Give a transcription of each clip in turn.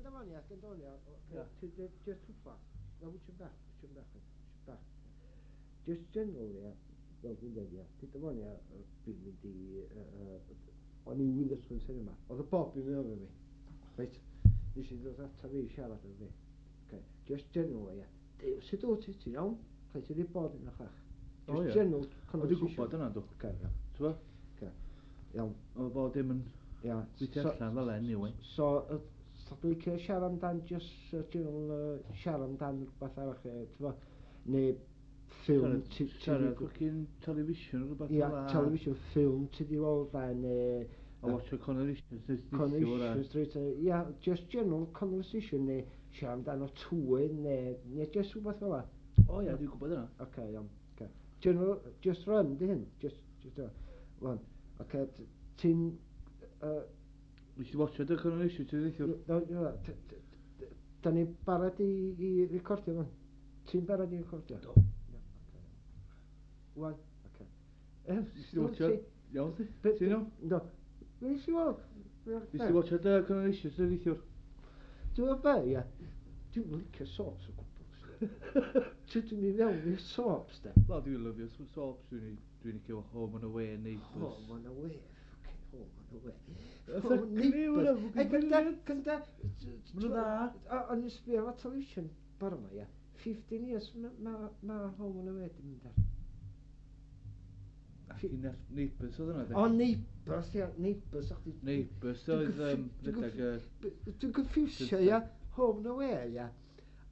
Gynta fan ia, gynta fan ia. Ia. Just rhywbeth. Na, wyt bach, wyt bach, wyt bach. Just general, ia, fel dwi'n dweud, ia. Dyda fan ia, dwi'n mynd i... O'n i'n Witherspoon cinema. Oedd y Bob yn mynd efo fi. Reit, nes i ddod ata fi i siarad efo fi. Okay. Just general, ia. Dew, sut wyt ti? Ti'n iawn? Lle ti wedi bod yn y chach? O, Just ie. general O, dwi'n conversation. gwybod yna, dw. Okay, ia. Ti'n bo? Okay. Iawn, Oedd bod dim yn ia. gweithio allan fel anyway. So, so dwi'n licio siarad amdan just general, siarad amdan rhywbeth arall, ti'n bo? Neu ffilm Siarad fucking television o rhywbeth Ia, fel 'a. television ffilm ti di weld a neu A watch Coronation Street. Coronation Street, ia, just general conversation neu siarad amdano tywydd neu just rhywbeth fel 'a. O ia, dwi'n gwybod yna. Oce, iawn. Oce. General, just run di hyn. Just, run. Oce, ti'n... Nes i watch y Coronation Street neithiwr. No, da ni'n barod i recordio fan? Ti'n barod i recordio? Do. Ia, oce. Wan, oce. Nes i watch Iawn ti? Ti'n iawn? Do. Nes i weld? Nes i watch y Coronation Street neithiwr. Dwi'n meddwl be, ia. Dwi'n licio soaps o gwbl. Ti'n dwi'n mynd fewn i'r soaps, de. Wel, dwi'n lyfio soaps. Dwi'n licio Home and Away, Neighbours. Home and Away, fucking Home and Away. Fucking hell, hwnna fucking brilliant. Gynta, Ma' nhw'n dda. O'n i'n sbio ar television bore yma, ia. 15 years ma Home and Away di mynd ar. Ac i Neighbours oedd hwnna, de? O, Neighbours, ia, Neighbours, o'ch di... Neighbours oedd rhedeg y Dwi'n confusio, ia, Home and Away, ia,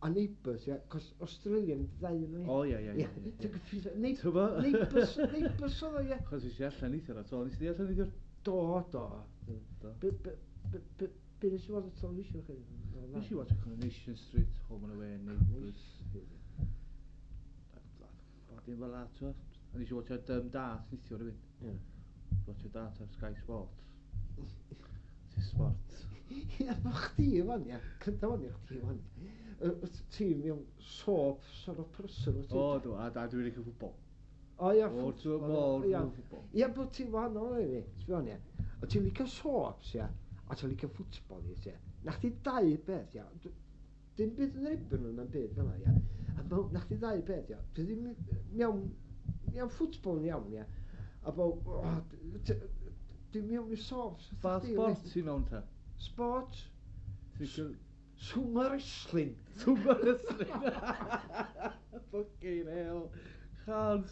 a Neighbours, ia, cos Australian ddau yn nhw, O, ia. Dwi'n confusio, T'bo? Neighbours, Neighbours oedd o, ia. Chos es i allan neithiwr, a to, nes i allan neithiwr? Do, do. Do. Be nes i weld y television chi? Nes i watch Coronation Street, Home and Away, Neighbours. Bod dim fel 'a, t'bo? A nes i watch Dart neithiwr hefyd. Ie. Watch Dart ar Sky Sports. Ti'n sport. Ia, bo chdi fan, ia. Cynta fan, ia, chdi fan. Ti mewn soap sort of person, wyt ti? O, do, a dwi'n licio ffwbol. O, ia, O, ffwtbol, ti'n mor ia. ffwbol. Ia, bod ti'n wahanol i fi, ti'n gwbod, ia. O ti'n licio soaps, ia, a ti'n licio ffwtbol, ia. Na chdi dau beth, ia. Dim byd yn erbyn nhw na'n byd fel 'na, ia. A na chdi ddau beth, ia. Dwi ddim mewn ffwtbol yn iawn, ia. A bo, o, dim mewn i soaps. Ba sport ti'n mewn ta? Sport? Ti'n licio Sumo wrestling. Sumo wrestling. Fucking hell. Chans.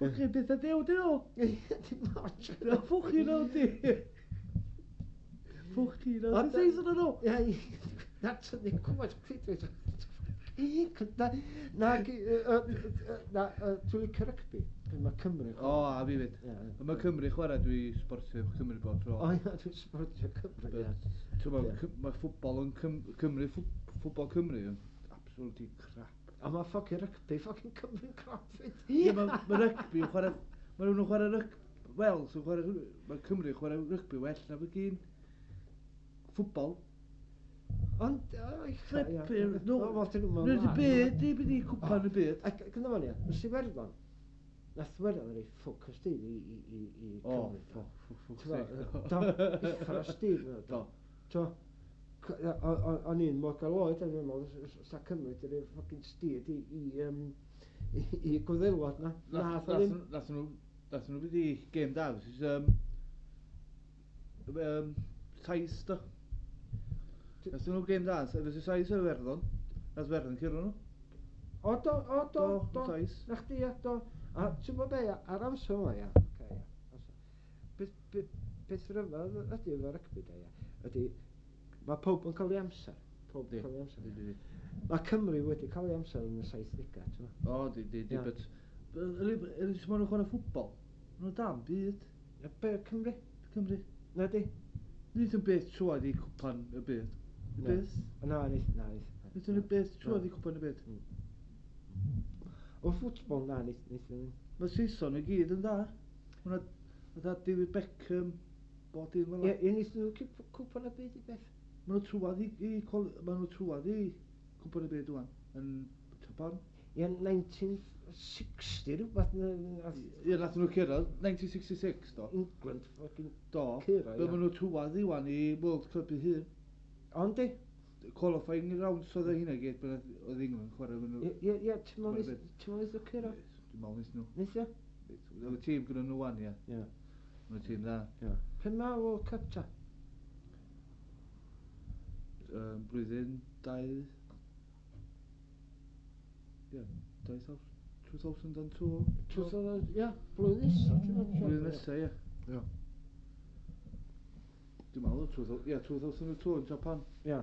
Fucking beth a dew, dyn nhw? Dim ots. Na, fucking hell di. Fucking hell. Ti'n seis yn nhw? Ia, na, ti'n cwmpas pryd. Na, na, na, dwi'n licio rygbi. Mae Cymru. O, a fi fyd. Ie, ie. Mae Cymru chwarae, dwi sportio efo Cymru bob tro. O, ia, dwi'n sportio Cymru, ia. Ti'n gwbod, Ie. Mae ffwbol yn Cymru, ffwbol Cymru yn absolutely crap. A mae fucking rygbi, fucking Cymru'n crap fyd. Ie, mae rygbi yn chwarae... Mae nhw'n chwarae rygbi... Wales yn chwarae... Mae Cymru yn chwarae rygbi well na fucking ffwbol. Ond, o, ia. Flipping, no. O, wel, dyn nhw'n Nid y byd, di byd i cwpan y byd. Ac gyda fan ia, nes i Werddon, nath Werddon rei ffwc o stil i O, Cymru. ffwc, ffwc, ffwc, T'mo', sake. Do, uffar o stil. Do. T'mo', o'n i'n mor gael oed, o'n i'n meddwl, sa Cymru di roi fucking steed i Gwyddelod na. Nath o ddim. Nath nhw fynd i game da, which is, Sais, do. Nath nhw game da, versus Sais o Iwerddon. Nath Iwerddon curo nhw. O, do, o, do, Do, do. Sais. Na chdi, ia, do. A ti'n gwybod be, ia, ar amser yma, ia, oce, ia. Beth rhyfedd ydy efo rygbi, da, ia, ydy, mae pawb yn cael ei amser. Pawb yn Di. cael ei amser. Di, di, di. Mae Cymru wedi cael ei amser yn y 70au, ti'n gwbod? O, di, di, di, Ia. but... Yli, maen nhw'n chwarae ffwbol. Maen nhw'n dan byd. Ia, be, Cymru? Cymru. Na di? Nid yn beth trwad i cwpan y byd. Y Na. beth? Na, nid, na, nid. Nid yn y beth trwad i cwpan y byd. O ffwtbol, na, nid, nid, nid. Mae Saeson i gyd yn dda. Hwna, fatha David Beckham, bod dim fel Ie, 'na. ie, nid nhw cwpan y byd i beth. Maen nhw trwad maen nhw trwad i cwpan y byd ŵan. Yn Japan. Ie, 1960 rhywbeth. Ie, nath nhw cyrraedd, 1966, do. England, fucking Do. curo, Be ie. maen nhw trwad i wan i World Cup i hun. Ond di? Qualifying rounds oedd hynna gyd, pan oedd England chwarae efo nhw. Ie, ie, ti'n meddwl neith nhw curo? Dwi'n meddwl neith nhw. Neith, ie? Oedd y tîm gyda nhw wan, ie. Ie. Mae'n tîm dda. Ie. Pen mae World Cup ta? Blwyddyn 2. Ie, 2002. 2000, ie, blwyddyn nesaf, ti'n meddwl? Blwyddyn nesaf, ie. Ie. Dwi'n meddwl, ie, 2002 yn Japan. Ie.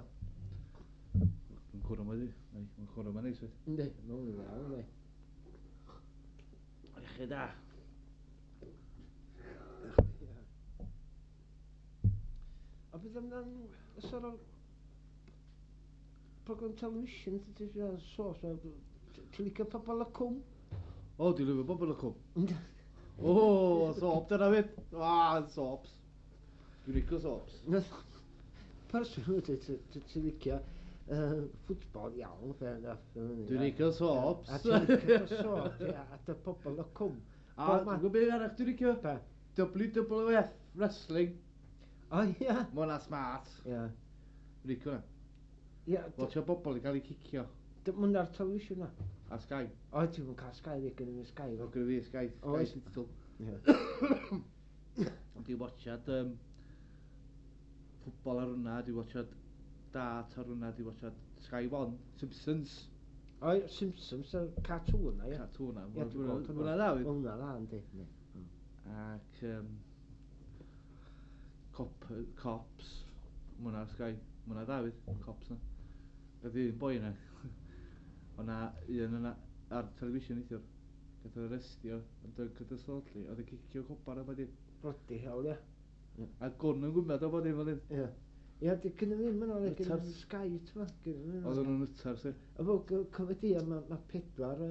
Mae'n cwrw yma di. Mae'n cwrw yma neis, fyd. Yndi, mae'n dda, yndi. Iechyd da. A beth amdan, sort of, program television, ti'n siarad sos, ti'n licio Pobol y Cwm? O, dwi'n lyfio Pobol y Cwm. O, soap dyna fyd. Ah, soaps. Dwi'n licio soaps. Person wyt ti'n licio ffwtbol iawn, fair enough. Dwi'n licio soaps. A ti'n licio soap, ie, a dy Pobol y Cwm. A dwi'n gwybod beth arall dwi'n licio? Be? WWF Wrestling. O, ie. Mae hwnna smart. Ie. Dwi'n licio hwnna. Ie, Watch o bobl i gael eu cicio. Mwyn ar television na. Ar Sky. O, ti'n mwyn cael Sky, fi gen i Sky. O, gyda fi Sky. Sky Oes. Digital. Ie. Ond dwi'n watchad ffwbol ar hwnna, dwi'n watchad dart ar hwnna, dwi'n watchad Sky One, Simpsons. O, ie, Simpsons, y cartoon na, ie. Cartoon na. Ie, dwi'n gweld Hwnna dda, hwnna. Hwnna dda, yndi. Yndi. Ac Cops, ma' hwnna ar Sky, ma' hwnna dda fyd, Cops na. Gath un boi yna, o'na un yna ar television neithiwr, gath o arestio yn drunk and disorderly, oedd yn cicio cobar a bod dim. Bloody hell, ie. A gwn yn gwybod o bod dim fel hyn. Ie. Ie, di gynnu ddim yna, le, gynnu Nutters. ddim Sky, ti'n ma? Gynnu ddim Oedden yna. nhw'n nutters, i. A fo, cyfydi, mae pedwar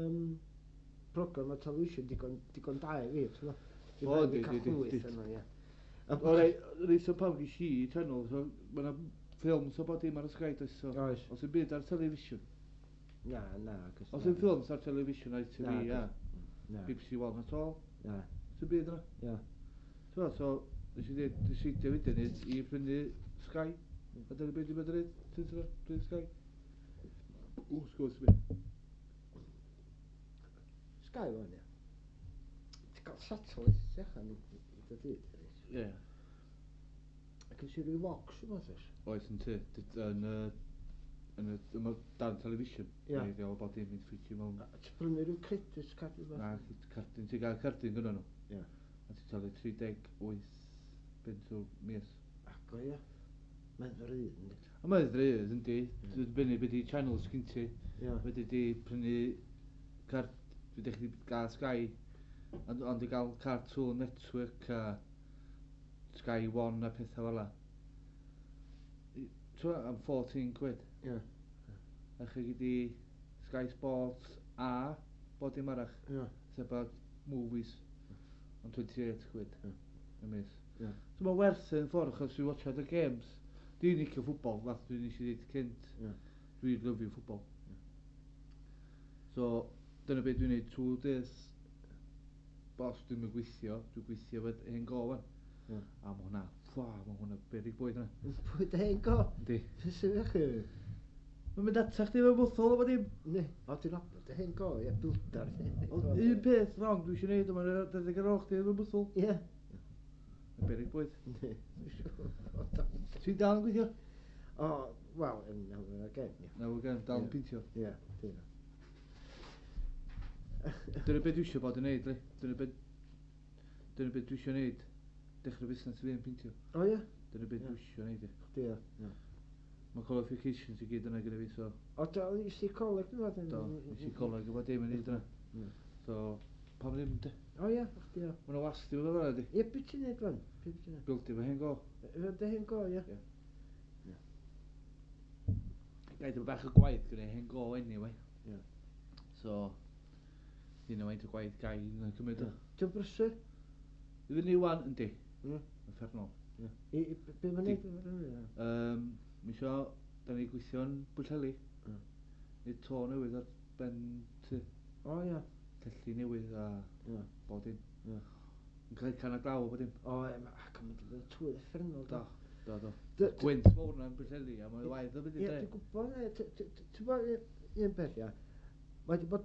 program o television digon da i fi, ti'n ma? Dwi'n O, rhaid di, i cael di, di, llwyth di. yna, ie. O, rei, reit o pawb ges i channel, so ma' 'na ffilms o bod dim ar y Sky, does, so. Oes. Os yw'n byd ar television. Na, na, cos Os na. yw'n ffilms ar television, ITV, Na, ia. Na, BBC One at all. na, Sy'n byd yna. ie. Ti'n gwbod, so, nes i dweud, decidio wedyn i prynu Sky. A dyna beth dwi'n bod yn neud, ti'n gwbod, prynu Sky. O, sgwrs mi. Sky o'n ie. Ti'n cael satellite ti allan i dy dyd, reit? Ie. Ac yn sy'n rhyw box yma, oes? Oes yn ty, yn y, yn y, yma dan television. Ie. Neu gael bod dim mynd ffitio mewn. A Ti'n prynu rhyw credit card rhywbeth? Na, cardyn, ti'n gael cardyn gyda nhw. Ie. A ti'n talu 38 bunt o mis. Ac o ie. Mae'n ddrud, yndi? A mae'n ddrud, yndi. Dwi'n dibynnu beth i channels gyn ti. Ie. Wedi di prynu card, dwi dechrau gael Sky, ond i gael Cartoon Network a Sky One a pethau fel la. Ti'n am 14 quid. Ie. A chi gyd i Sky Sports a bod dim arall. Ie. Sef bod movies ond 28 quid Ie. y mis. Ie. So mae'n werth yn ffordd achos dwi'n watchad y games. Dwi'n licio ffwbol, fath dwi'n eisiau dweud cynt. Ie. Dwi'n lyfio ffwbol. So, dyna beth dwi'n neud trwy dydd. Bos dwi'n mynd gweithio, dwi'n gweithio fod hen go wan. Ie. A mae hwnna, fwa, mae hwnna berig bwyd yna. Pwy dy hen go? Yndi. Beth sy'n eich chi? Mae'n mynd atach chdi efo bwthol o bod dim. Ne, o dwi'n nabod dy hen go, ie, builder. Ond un peth wrong dwi eisiau neud, ond mae'n deg ar ôl chdi efo bwthol. Ie. Mae'n berig bwyd. Ne. Ti'n dal yn gweithio? O, wel, yn nawr again, ie. Na, we're dal yn Ie. peintio. Ie, dyna. Dyna beth dwi eisiau bod yn neud, li. Dyna beth dwi eisiau neud. Dechrau busnes fi yn peintio. O ie? Dyna beth Ie. dwi eisiau neud, ie. Chdi ie. Ie. Mae qualifications i gyd yna gyda fi, so... O, do, nes i coleg dwi'n meddwl? Do, nes i coleg efo dim yn neud yna. Ie. So, pam ddim, de? O ie, chdi ie. Mae yna wasti fel yna, di. Ie, beth ti'n neud fan? Be ti'n neud? Bildio fy hen go. Efo dy hen go, ie? Ie. Gaid efo bach o gwaith gyda hen go anyway. Ie. So, ddim yn faint o gwaith gai yn cymryd o. Ti'n brysur? I fyny wan, yndi. Ie. Uffernol. Ie. Be mae'n Di- neud? Ie. Mi isio, da ni gweithio'n Bwllheli. Ie. Neud to newydd ar ben tŷ. O ie. Celli newydd a Ie. bod dim. Ie. Yn cael can a glaw o bod dim. O, ie, ac yn mynd i fod tywydd uffernol, Do. do. Do, do. Gwynt mawr na'n Bwllheli, a mae'n waith o beth i Ie, de. dwi'n gwybod, ti'n gwybod un peth, ia. Mae di bod,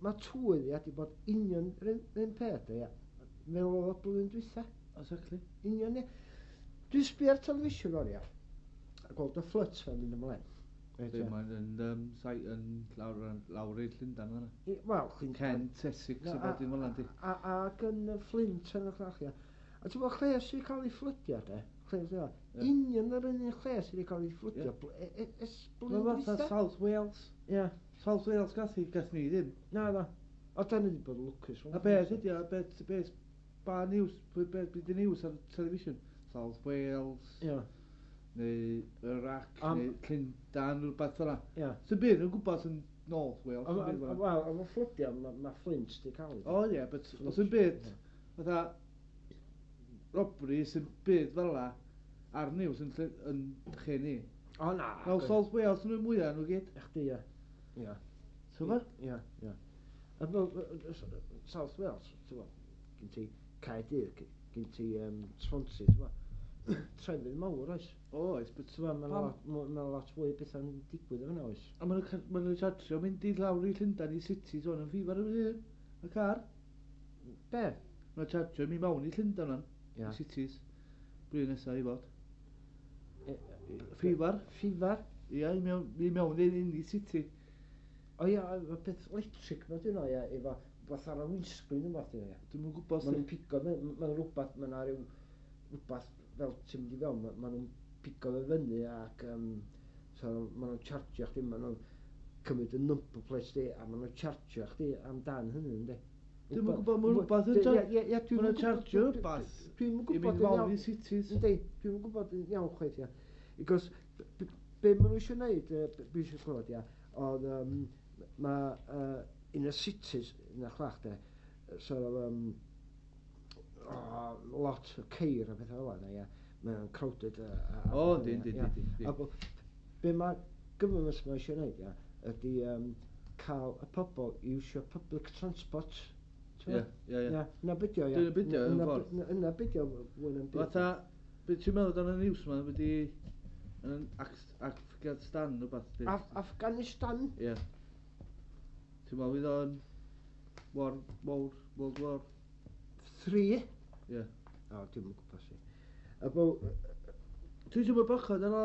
mae tywydd, ia, di bod union yr un peth, ia. Fel oedd o blwyddyn dwytha. Exactly. Union, ia. Dwi'n sbio ar television o'n ia. A gweld y floods yn mynd ymlaen. Reit, Be, ia. mae'n yn, sai, yn lawr, lawr i'r Llundain fan'na. Wel, Llundain. Kent, Essex, Na, a bod dim fel 'na, di. Ac yn y Flint yn y llall, ia. A ti'n gwybod lle sy'n cael ei fflydio, de? Lle sy'n cael? Ie. Union yr un lle sydd wedi cael ei fflydio. Ie. Ers Mae'n blwyddyn fatha dwytha. South Wales. Ie. South Wales gath hi, gath ni ddim. Na, na. O, da ni wedi bod yn lwcus. A beth ydi o, beth, beth, ba news, beth, beth di news ar television? South Wales, Ie, neu Iraq, neu Llundain, rhywbeth fel 'na. ie. Sy'n byd yn gwybod yn North Wales, sy'n byd fel 'na. Wel, efo fflydio, ma Flint di cael ei. O ie, but os yn byd, fatha, robbery sy'n byd fel 'na, ar news yn, yn lle ni. O, na. Wel, South Wales yn nhw'n mwyaf nhw gyd. Chdi, ie. Ie. Ti'n gwbod? Ie, ie. A fel, South Wales, ti'n gwbod, gen ti Caerdydd, gen ti Swansea, ti'n gwbod. Trefydd mawr, oes? Oes, but Ti'n gwbod, mae'n Pam? lot, ma' lot fwy o bethau'n digwydd yna, oes? A maen nhw'n chartio mynd i lawr i Llundain i City, so yn ffifar y hyn, y car. Be? Maen nhw'n chartio mynd mewn i Llundain o'n, Ie. i cities. Blwyddyn nesaf i fod. Ffifar? Ffifar. Ffifar? Ie, i mewn i city. O ia, y peth electric ma dyn nhw, ia, efo rhywbeth ar y windscreen yma, dyn nhw, ia. Dwi'm yn gwybod Maen nhw'n pigo, maen rhywbeth, maen nhw rhyw rhywbeth fel ti'n mynd i fewn, maen nhw'n pigo fe fyny ac so maen nhw'n chargio chdi, maen nhw'n cymryd y number plate di, a maen nhw'n chargio chdi amdan hynny, yndi? Dwi'm yn gwybod, ma' rwbath yn Ie, ie, dwi'm Ma' nhw'n yn gwbod- chargio rwbath Dwi'm yn i gwybod mynd yn mewn iawn. i cities. Yndi, dwi'm yn gwybod yn iawn chwaith, ia. Because be maen nhw eisiau gwneud, be eisiau clywed, ia, oedd mae in y cities, yn y chlach, de, sort of, oh, lot o ceir a pethau fel yna, ia. Mae'n crowded. A O, pethau, yndi, yndi, ia. yndi, yndi. A be mae government ma eisiau gwneud, ia, ydy cael y pobl i iwsio public transport. Ie, ie, ie. Ia, na beth o, ia. Dyna be' 'di o, mewn ffordd. Na beth o, fwy na'm byd. Fatha, be ti'n meddwl dan y news ma, wedi yn Afghanistan rhywbeth? di? Afghanistan? Ie. Ti'n meddwl fydd o'n War, War, World War? 3? Ie. O, dwi'm yn gwybod si. A bo... Dwi'n teimlo bachod ar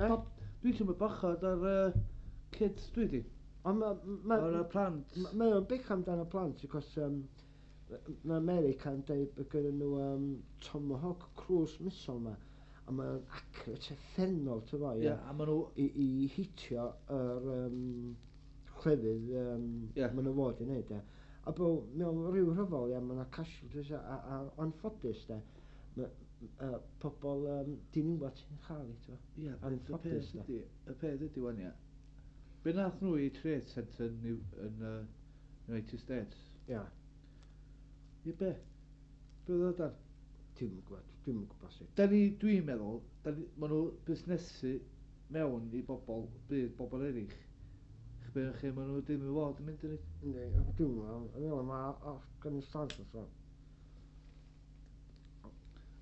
Eh? Dwi'n teimlo bachod ar kids dwi di. Ond ma... Ar y plant. Mae o'n bech amdano plant, achos mae America yn dweud bod gynnon nhw Tomahawk cruise missile ma, a mae o'n accurate uffernol, ti'n fo, Ie, ie, a maen nhw... i hitio yr clefyd Ie. maen nhw fod i wneud, ie. A bo, mewn rhyw rhyfel, ie, mae yna casualties a anffodus, de, ma' pobl diniwad sy'n chael i, ti'n fo. Ie, y Anffodus, peth de. ydi, y peth ydi wan, ie. Be nath nhw i Trade Centre yn United States? Ie, I be? Be oedd o dan? dwi'm yn gwybod, dwi'm yn gwybod sut. Da ni, dwi'n meddwl, da ni, ma' nhw busnesu mewn i bobl, byd bobl eraill. Chbe lle ma' nhw ddim i fod yn mynd yn ei. Yndi, dwi'm yn meddwl, yn meddwl mae Afghanistan so.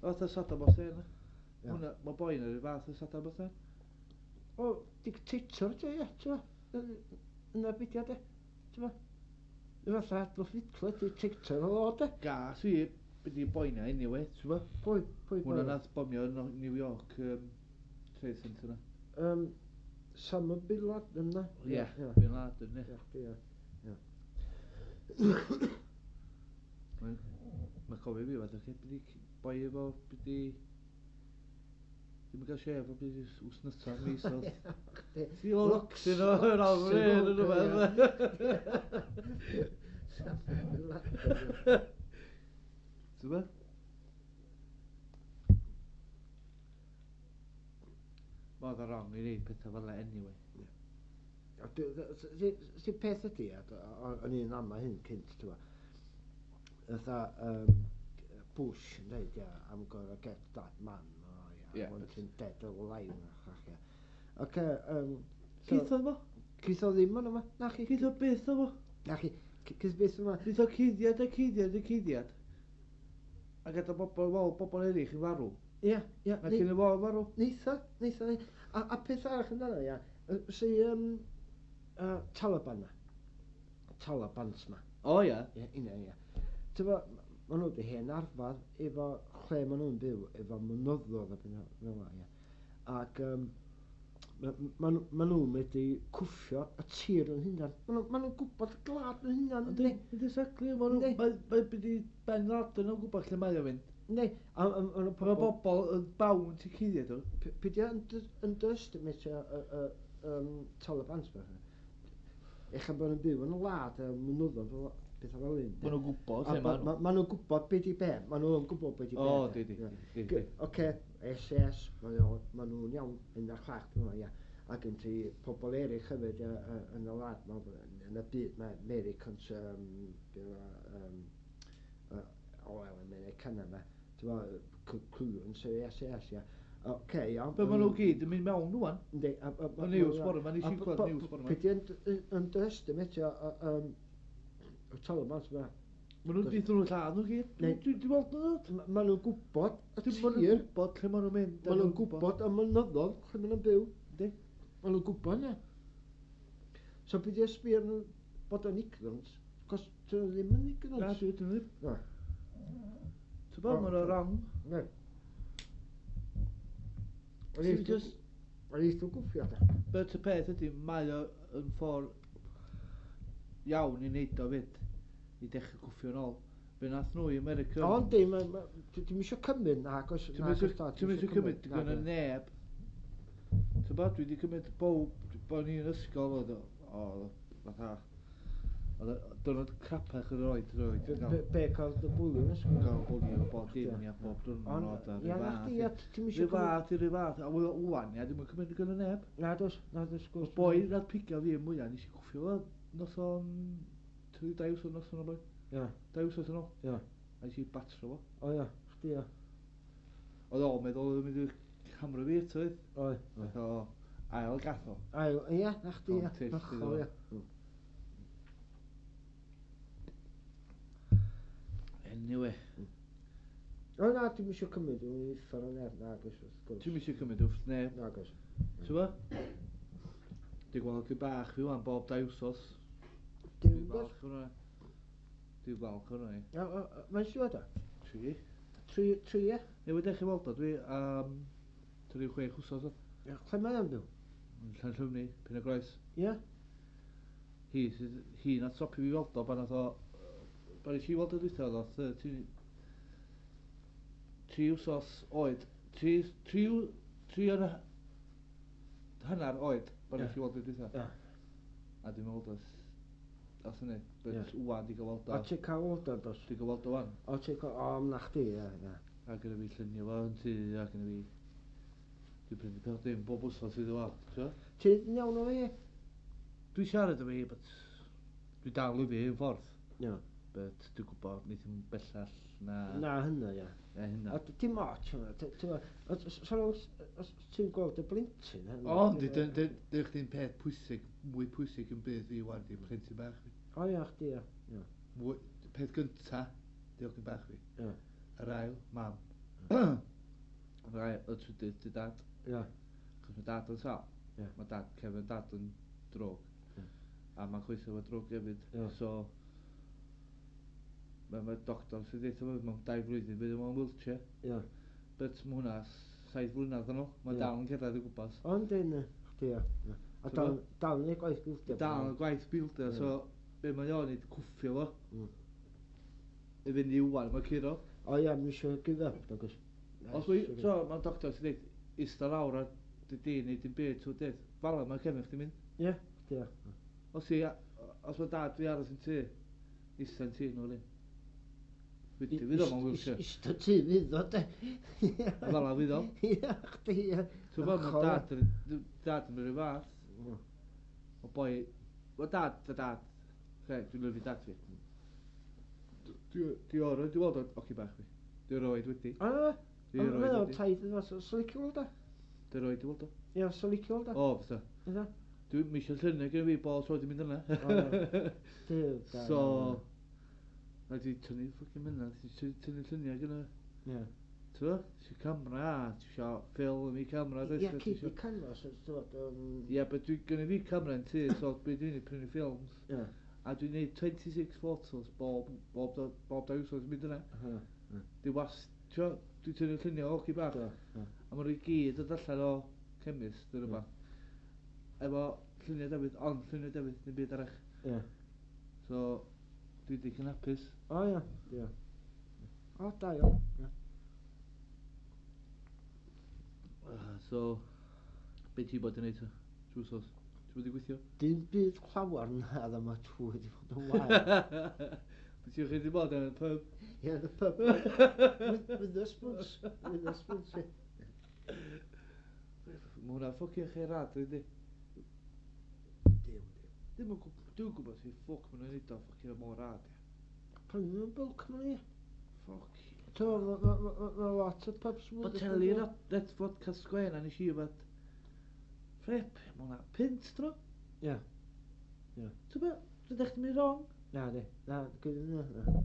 Fatha Saddam Hussein. Ie. Hwnna, mae boi yna rhyw fath o Saddam Hussein. O, dictator ti, ie, ti'n fo? Yna beth de, ti'n fo? Fatha Adolf Hitler, dictator o de. Gas i, beth i boi yna anyway, ti'n fo? Pwy Hwnna boi? nath bomio yn New York Trade Centre yna. Osama Bin Laden na? Ie, Ie, Bin Laden, ie. ie, ie. Mae'n cofio fi fath o chi, beth i boi efo, beth i... Ddim yn cael shave o beth i wsnota mis oedd. Chdi. Ti o locsyn o yr awr yn rhywbeth. Osama Bin Laden. Ti'n gwbod? Mae oedd o wrong i wneud pethau fel 'na anyway. A Si peth ydi, a o'n i'n ama hyn cynt, ti'n gwbod. Fatha Bush yn dweud, ia, I'm gonna get that man, oh, yeah, Ie, I want but- him dead or alive, a chach, ia. Ocê, Geith o fo? Geith o ddim yn yma, na chi. Geith o byth o fo? Na chi, geith byth yma. Geith o cuddiad a cuddiad a cuddiad. A gadael bobl, wel, bobl eraill i farw. Ia, ia. Na cyn y fo farw. Neitha, neitha. A peth arall amdano, ia, si Taliban na. Talibans ma. O ia. Ie, una, ia. Ti'n ma' nhw wedi hen arfer efo lle ma' nhw'n byw, efo mynyddoedd a pethau fel 'na, ia. Ac ma' nhw'n medru cwffio y tir yn hunan. Ma' nhw'n gwybod y gwlad yn hunan, yndi? Yndi, exactly. Ma' nhw... Mae byd i Ben Laden yn gwybod lle mae o'n mynd. Yndi. A ma' nhw Mae bobl yn bound i cuddiad o. Peidio underestimate y Taliban, bach. Ella bod nhw'n byw yn y wlad a mynyddoedd fel pethau fel hyn. Maen nhw'n gwybod lle maen nhw. Maen nhw'n gwybod beth i be. Maen nhw'n gwybod beth i be. O, di. Oce, SS, maen nhw'n iawn, un o'r chwech, dwi'n meddwl, ia. A gen ti pobl eraill hefyd yn y wlad, yn y byd, mae Americans, oil Americana yma, ti'n meddwl, clearance SS, ia. Oce, iawn. Be maen nhw gyd yn mynd mewn rwan. Yndi. Y news bore 'ma, nes i glwad news bore 'ma. Peidio underestimate y Taliban yma. Maen nhw'n dweud nhw'n lladd nhw gyd. Dwi'n weld nhw'n dod. Maen nhw'n gwybod y tir. Maen nhw'n gwybod lle maen nhw'n mynd. Maen nhw'n gwybod y mynyddoedd lle maen nhw'n byw. Yndi. Maen nhw'n gwybod yna. So peidio sbio nhw bod yn ignorant. Cos dyn nhw ddim yn ignorant. Na, dyn nhw ddim. Na. Ti'n bod, maen nhw'n wrong. Ne. O'n eithaf gwffio, da. But y peth ydy, mae o yn ffordd iawn i wneud o fyd, i dechrau cwffio yn ôl. Fe nath nhw i America... O, yndi, dwi'm isio cymryd, nag oes. Dwi'm isio cymryd, dwi'n gynnu neb. Ti'n bod, dwi wedi cymryd bob, bod ni'n ysgol, oedd o, fatha, Diwrnod crapach yr oed, roed. Be, cael dy bwlio yn ysgol? Cael bwlio bob dim, ia, bob diwrnod. Ia, na chdi, ia, ti'n misio... Rhyw fath i rhyw fath, a wan, ia, dwi'n cymryd gynnu neb. Na, dos, gwrs. Boi nath pigio fi mwyaf, nes i cwffio fo noson... 2 wsos noson o boi. Ia. 2 wsos yn ôl. Ia. A nes i batro fo. O ia, chdi ia. Oedd o'n meddwl oedd o'n mynd i hamro fi eto, oedd. Oedd. Oedd o ail gath o. Ail, ia, na chdi, ia. Hollol, ia. Anyway. O na, dwi'm isio cymryd o'n uffar o neb, nag oes wrth gwrs. Dwi'm isio cymryd wrth neb. Nag oes. Ti'n bo? Dwi'n gweld chi bach fi wan bob 2 wsos. Dwi'n falch hwnna. Dwi'n falch hwnna i. Mae'n siŵr da? 3. 3, ie? Newydd dechrau weld o, dwi 36 wsos o. Lle mae o'n byw? Yn Llanllyfni, Pen-y-groes. Ie? Hi nath stopio fi weld o pan nath o... Pan nes i weld o dwytha, oedd o 3 wsos oed. 3 yn hanner oed pan nes i weld o dwytha. A dwi'n meddwl os hynny, but wan di gael weld o. O, ti'n cael weld o, dos? Di gael weld o wan. O, ti'n cael, o, na chdi, ie, ie. A gyda fi llunio fo yn tŷ, a gyda fi... Dwi'n prynu peth dim bob wsos iddo fo, ti'n Ti'n iawn o fi? Dwi'n siarad efo fi, but dwi dal i fi yn ffordd. Ie. But dwi'n gwybod, wneith hi'm bellach na... Na hynna, ie. Na hynna. A dim ots hwnna, os ti'n gweld y blentyn... O, yndi, dyn chdi'n peth pwysig, mwy pwysig yn byd fi wan, di plentyn bach fi. O ia, chdi, ia. Peth gynta, diolch yn bach fi. Ie. Yr ail, mam. Yr ail, y trydydd, dy dad. Ie. Chos mae dad yn sâl. Ie. Mae dad, cefn dad yn drwg. Ie. A mae'n chwythu efo drwg hefyd. Ie. So, mae doctor sy'n dweud mewn 2 blwyddyn bydd o'n wheelchair. Ie. But mae hwnna 7 blynedd yn ôl. Mae dal yn cyrraedd o gwmpas. O, yndi, yndi. Chdi, ia. A dal yn ei gwaith builder. Dal yn gwaith builder, so be mae o'n neud, cwffio fo. I fynd i wan, mae curo. O ia, mi eisiau give up, nag oes. Os mae, so mae'r doctor sy'n dweud, ista lawr a dy di neu dim byd, ti'n dweud, fala mae cefn chdi'n mynd. Ie, chdi, ia. Os mae dad fi aros yn tŷ, ista yn tŷ nhw, Fydd o mewn wheelchair. Ista tŷ fydd o, de. A fala fydd o. Ia, chdi, ia. Ti'n gwybod, mae dad yn rhyw fath. O boi, mae dad, dy dad. Dwi'n lyfio dad fi. Dwi o'r, dwi'n weld o, oci bach fi. Dwi roed wedi. O, Dwi roed wedi. Taid yn fath, so licio weld o? Dwi roed wedi weld o. Ia, so licio weld o? O, fysa. Fysa? Dwi'n misio lluniau gyda fi bol tro di mynd yna. So, na di tynnu ffwcin mynd, di tynnu lluniau gyda. Ie. Ti'n gwbod? Ti isio camera, ti isio ffilm i camera, does? Ia, cyd i canvas, ti'n gwbod. Ia, but dwi gynnu fi camera yn tŷ, so be dwi'n neud, prynu ffilms. Ia. A dwi'n neud 26 photos bob, bob, bob 2 wsos yn mynd yna. Di was, ti'n gwbod, dwi'n tynnu lluniau o ci bach. A maen nhw i gyd yn allan o chemist neu rhywbeth. Efo lluniau Dafydd, ond lluniau Dafydd, ddim byd arall. So, dwi digon hapus. O ia, ia. O, da iawn. Ia. So, be ti bod yn neud ta? Trwy wsos? Ti bod i gweithio? Dim byd llawer na, dda mae trwy wedi bod yn wael. Be ti'n chi wedi bod yn y pub? Ie, the pub. With the spoons. With the spoons, ie. Mae hwnna fucking lle rad, ydy. Dim, dim. Dim yn gwybod, dwi'n gwybod sut ffwc maen nhw'n neud o fucking mor rad, ie. Prynu nhw'n bulk maen nhw, ie. Fuck. Mae lot o pubs Boteli Red Vodka Square na nes i yfad. Flip, mae hwnna pint dro. Ie. Ti'n be? Rydych chi'n mynd wrong? Na, di. Na, gwyd na. Na.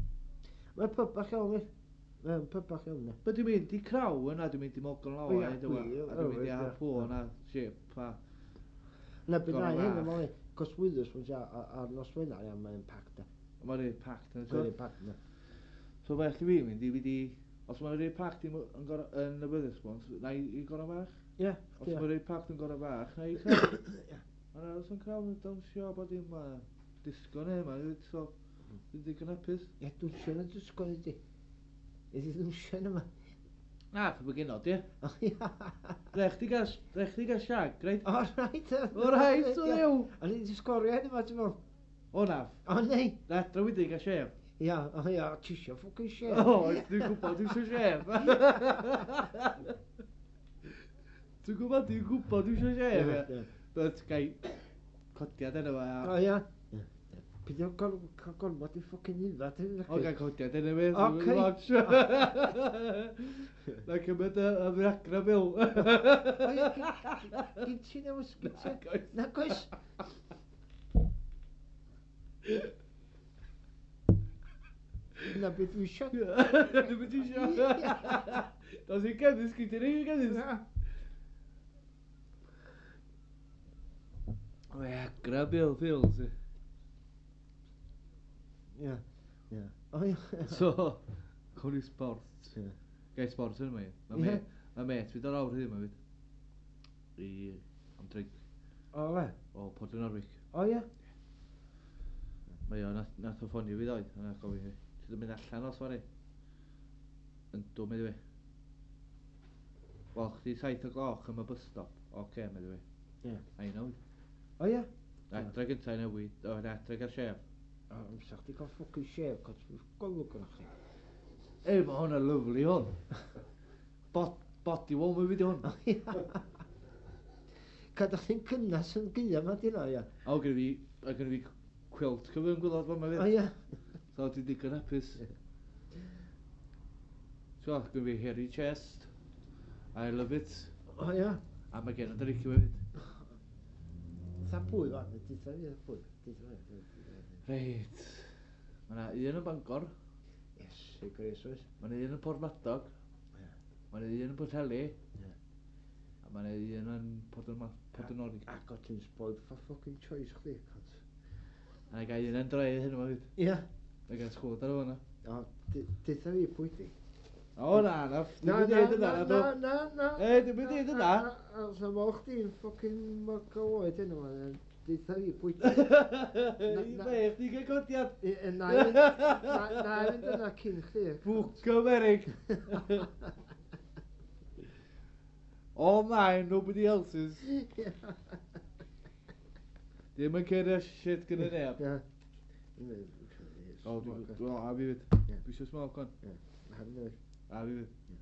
Mae'n pub bach iawn, i. Mae'n pub bach iawn, i. Be dwi'n mynd i Craw yna, dwi'n mynd i Morgan O, Lawa, ie, a dwi'n gwir, mynd i ie. Harpoon a Ship a Na, bydd na Gorau hyn fach. yma, i. Cos Wetherspoons, ia, ar nos Wener, ia, mae'n packed, ia. Mae'n rhaid packed yn Mae'n packed, ia. So felly fi mynd i fynd i. Os mae'n rhaid packed yn y Wetherspoons, na i Gorau Fach. Ie. Os ie. mae'n rhaid packed yn Gorau Fach, na i Craw. Mae'n aros yn Craw yn dawnsio a bod dim disgo neu yma, so dwi'n digon hapus. Ie, dwnsio yn y disgo ydi. Ydi dwnsio yn yma. Na, pwy bod genod, ie. O, ia. Rech chdi gael shag, reit? O, reit. O, reit, o ddiw. O'n i wedi sgorio hyn yma, ti'n meddwl? O, na. O, nei. Na, dra wedi gael shave. Ia, o, ia, ti isio fucking shave. O, dwi'n gwybod, dwi'n eisiau shave. Dwi'n gwybod, dwi'n eisiau shave, ie. But, gai codiad yna fo, O, a ia. Pidio cael gormod i fucking yfad. O, gai codiad yna fi. Ocê. Na cymryd y Viagra pill. O, ia, gyn ti newis, gyn ti? Nag oes. Na, goes. Na beth dwi isio. Na beth dwi isio. Dos i'n cefnus, gyn ti rhaid i cefnus. Viagra pill, pills. ie. Ia, ia. O, ia. So, cawn ni sport. Ie. Gai sport yn yma i. Mae Ie. Mae met fi dod lawr hyd yma fyd. I am drink O, le? o Port Norwich. O, ia. Mae o, nath o ffonio fi ddoe, a nath gofyn fi. Ti ddim mynd allan os fory? Yndw, medde fi. Wel, chdi 7 o gloch am y bus stop. Oce, medde fi. Ie. A i newid. O, ia. Na, adre gynta i newid, o, na, adre gael shave. O, amser chdi gael fucking shave, cos golwg gyda chdi. Ei, mae hwnna'n lyfli hwn. Body warmer fi di hwn. O, ia. Cadw chdi'n cynnas yn gaea ma di na, ia. O, gyda fi quilt cyfyn gwylod fan ma O, fi. ia. So, dwi'n digon hapus. So, gyda fi hairy chest. I love it. O, ia. A mae gen i licio hefyd. Tha pwy fan, ditha fi, tha pwy. Ditha fi. Reit. Mae yna un yn Bangor. Iesu Grist, oes. Mae yna un yn Porthmadog. Ie. Mae yna un yn Pwllheli. Ie. A mae yna un yn Porthanorwig. Ac o ti'n spoiled for fucking choice chdi, cont. A na gael un yn dre hyn yma fyd. Ia. Na gael sgwd ar hwnna. O, ditha fi pwy di. O na, na. Dwi'n mynd i ddeud yna, na, na, na, na. Ei, dwi'n mynd i ddeud yna. Os am o'ch chdi'n fucking mwg o oed hyn yma, ditha fi pwy di. I be, chdi gael codiad. Na i fynd yna cyn chdi. Ffwc Amerig. All mine, nobody else's. Dim yn cerio shit gyda neb. Ie. O, dwi'n... O, a fi fyd. Ie. Dwi eisiau smoke on. Ie. Na, fi fyd. A fi fyd. Ie.